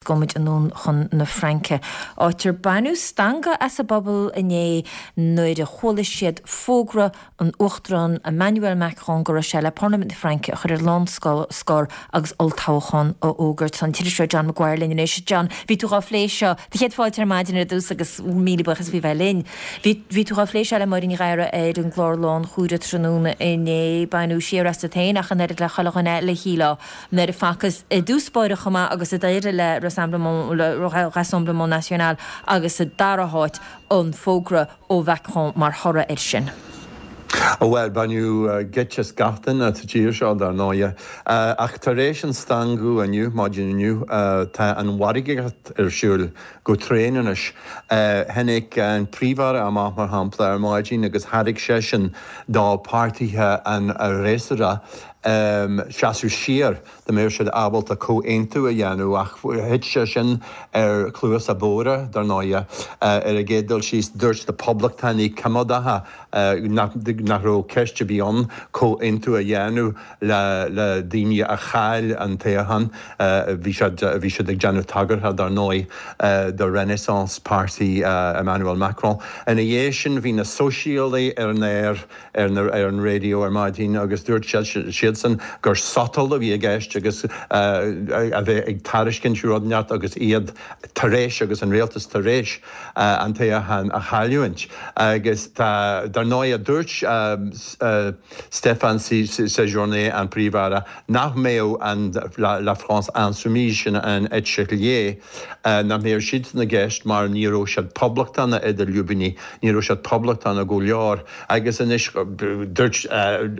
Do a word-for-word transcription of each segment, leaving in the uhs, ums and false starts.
Gabhfaidh muid anonn chun na Fraince. Áit ar baineadh stangadh as an bpobal inné nuair a chuala siad fógra an Uachtaráin Emmanuel Macron go raibh sé le Parlaimint na Fraince a chur ar lánscor agus olltoghchán a fhógairt. Tá an t-iriseoir John Maguire linn anois. John, bhí tú dhá phlé seo do chéad fáilte ar maidin ar dtús agus míle buíochas faoi bheith linn. Bhí tú dhá phlé seo le Máire Ní Ghadhra ar an gclár Lánchúire tráthnóna inné baineadh siar asat féin ach an oiread le chuile dhuine eile shílfeá nuair a facthas i dtús báire chomh maith agus a d'éirigh le Rassemblement National agus sa dara háit an fógra ó Mhacron mar thoradh air sin. Bhuel baineadh geit as gach duine sa tír seo dar ndóigh. Ach tar éis an stangadh inniu, maidin inniu, tá an mhargaíocht ar siúl go tréan anois. Tháinig an Príomh-Aire amach mar shampla ar maidin agus thairg seisean do pháirtithe an fhreasúra seasamh siar dá mbeadh siad ábalta comhaontú a dhéanamh ach thit sé sin ar chluasa bodhra dar ndóigh. Ar an gcéad dul síos dúirt na poblachtánaigh coimeádacha nach nach raibh ceist ar bith ann comhaontú a dhéanamh le le daoine a chaill an toghchán. Bhí siad bhí siad ag déanamh tagartha dar ndóigh do Renaissance Party Emmanuel Macron. Ina dhiaidh sin bhí na sóisialaigh ar an aer ar ar an raidió ar maidin agus dúirt siadsan gur sotal a bhí i gceist agus a bheith ag tairiscint rud inteacht agus iad tar éis agus an rialtas tar éis an toghchán a chailliúint. Agus tá dar ndóigh dúirt Stéphane Séjourné an Príomh-Aire nach mbeadh an La France Insoumise sin an eite chlé nach mbeadh siad i gceist mar ní raibh siad poblachtánach idir lúibíní, ní raibh siad poblachtánach go leor agus anois dúirt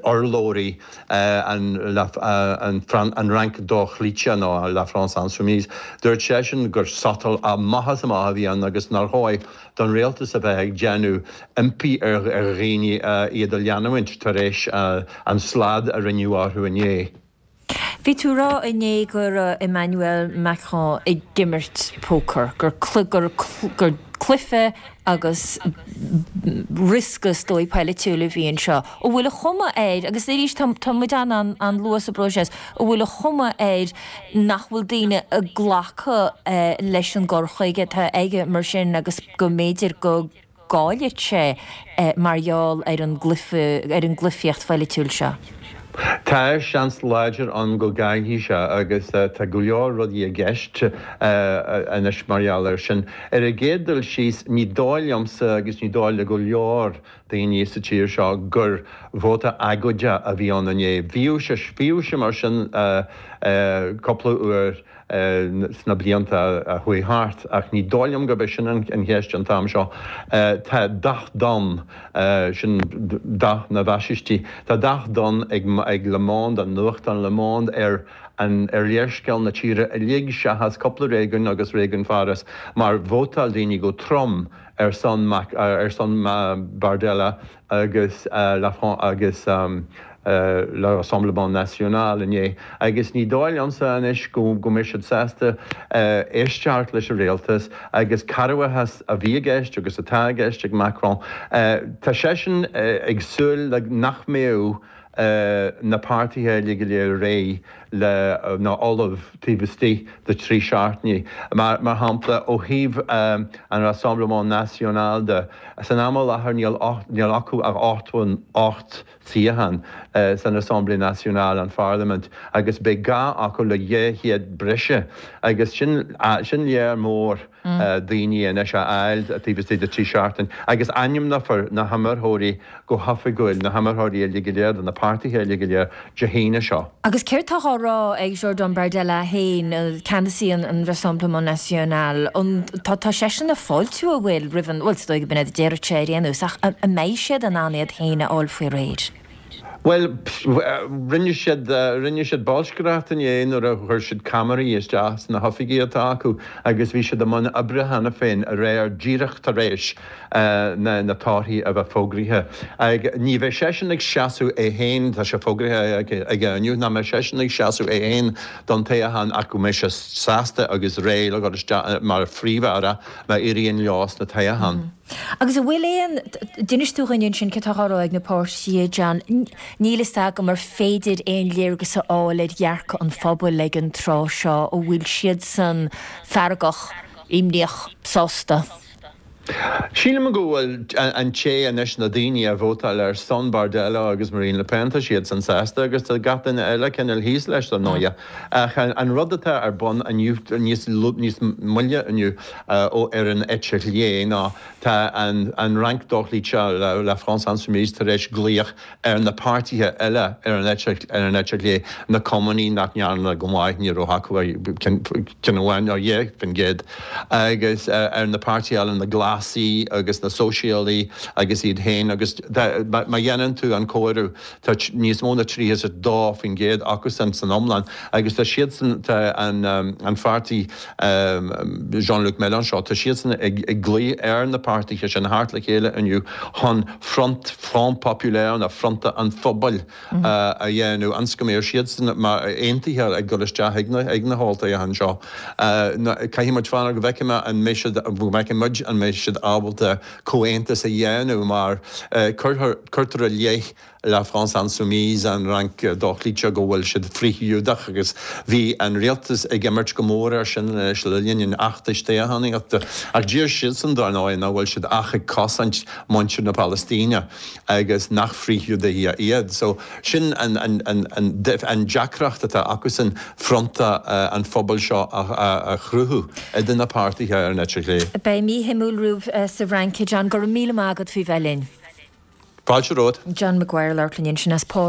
urlabhraí an an an Fhrainc dhochloíte nó La France Insoumise. Dúirt seisean gur sotal amach is amach a bhí ann agus nár chóir don rialtas a bheith ag déanamh impí ar dhaoine iad a leanúint tar éis an slad a rinneadh orthu inné. Bhí tú ag rá inné go raibh Emmanuel Macron ag imirt pócair, gur gur gur cluiche agus riosca is dóigh polaitiúil a bhí anseo. An bhfuil an chuma air, agus arís tá muid an an luath sa bpróiseas, an bhfuil an chuma air nach bhfuil daoine ag glacadh leis an gcur chuige atá aige mar sin agus go mb'fhéidir go gcaillfidh sé mar gheall ar an gcluiche ar an gcluifíocht pholaitiúil seo. Tá seans láidir ann go gcaillfidh sé agus tá go leor rudaí i gceist anois mar gheall air sin. Ar an gcéad dul síos ní dóigh liomsa agus ní dóigh le go leor daoine sa tír seo gur vóta agóide a bhí ann inné. Bhíodh sé bhíodh sé mar sin cúpla uair sna blianta a chuaigh thart ach ní dóigh liom gurb é sin an cheist an t-am seo. Tá dath donn sin dath na bhfaisistí. Tá dath donn ag ag Le Monde an nuachtán Le Monde ar an ar léarscáil na tíre uilig seachas cúpla réigiún agus réigiún Pháras mar vótáil daoine go trom ar son ar son Bardella agus La France agus le Rassemblement National inné agus ní dóigh liomsa anois go go mbeidh siad sásta éisteacht leis an rialtas agus cearrbhachas a bhí i gceist agus atá i gceist ag Macron. Tá seisean ag súil le nach mbeadh na páirtithe uilig go léir réidh le ná ullamh taobh istigh de trí seachtainí. Mar mar shampla ó thaobh an Rassemblement National de san am i láthair níl níl acu ach ocht ocht suíochán san Assemblée Nationale an Pharlaimint agus beidh gá acu le dhá chéad breise agus sin sin léar mór daoine anois a fháil taobh istigh de trí seachtain agus ainmneofar na hiomaitheoirí go hoifigiúil na hiomaitheoirí uilig go léir de na páirtithe uilig go léir Dé hAoine seo. Agus céard tá á rá ag Jordan Bardella féin ceannasaí an Rassemblement National an tá tá seisean ag fáiltiú an bhfuil roimh an bhfuil is dóigh go b'in é a déarfadh sé ar aon nós ach an mbeidh siad in ann iad féin a fháil faoi réir. Bhuel rinne siad rinne siad bolscaireacht inné nuair a chuir siad ceamaraí isteach sna hoifigí atá acu agus bhí siad i mbun oibre cheana féin aréir díreach tar éis na na torthaí a bheith fógraithe. Ag ní bheidh seisean ag seasamh é féin tá sé fógraithe aige inniu nach mbeidh seisean ag seasamh é féin don toghchán ach go mbeidh sé sásta agus réidh le dhul isteach mar phríomh-aire má éiríonn leo sna toghcháin. Agus an bhfuil aon, d'inis tú dhúinn ansin céard atá á rá ag na páirtithe, John, níl fhios agam ar féidir aon léargas a fháil ar dhearcadh an phobail ag an tráth seo, an bhfuil siadsan feargach, imníoch, sásta? Sílim go bhfuil an té anois na daoine a vótáil ar son Bardella agus Marine Le Pen, tá siadsan sásta agus tá gach duine eile cineál thíos leis dar ndóighe. Ach an rud atá ar bun inniu, níos níos moille inniu ó ar an eite chlé ná tá an an Fhrainc dochloíte, La France Insoumise tar éis glaoch ar na páirtithe eile ar an eite ar an eite chlé, na Cumannaigh nach ndearna go maith, ní raibh acu ach ceann amháin nó dhá faoin gcéad, agus ar na páirtithe eile, na Glasaigh agus na Sóisialaigh agus iad féin agus má dhéanann tú an comhaireamh tá níos mó ná tríocha is a dó faoin gcéad acusan san iomlán agus tá siadsan, tá an an pháirtí Jean-Luc Mélenchon, tá siadsan ag ag glaoch ar na páirtithe sin theacht le chéile inniu chun front, Front Populaire nó Fronta an Phobail a dhéanamh ionas go mbeidh siadsan mar aontaithe ag dul isteach ag na ag na holltoghcháin seo. Caithfidh muid fanacht go bhfeicfidh mé an mbeidh siad, go bhfeicfidh muid an mbeidh siad ábalta comhaontas a dhéanamh mar cuirtear i leith La France Insoumise, an Fhrainc dochloíte, go bhfuil siad frith-Ghiúdach agus bhí an rialtas ag imirt go mór air sin anois le linn an fheachtais toghchánaíochta. Ach deir siadsan, dar ndóigh, nach bhfuil siad ach ag cosaint muintir na Palaistíne agus nach frith-Ghiúdaigh iad. So sin an an deacracht atá acusan, fronta an phobail seo a chruthú idir na páirtithe ar an eite chlé. Beidh mí shuimiúil romhaibh sa bhFrainc, John. Go raibh míle maith agat faoi bheith linn. Fáilte romhat. John Maguire ag labhairt linn ansin as Páras.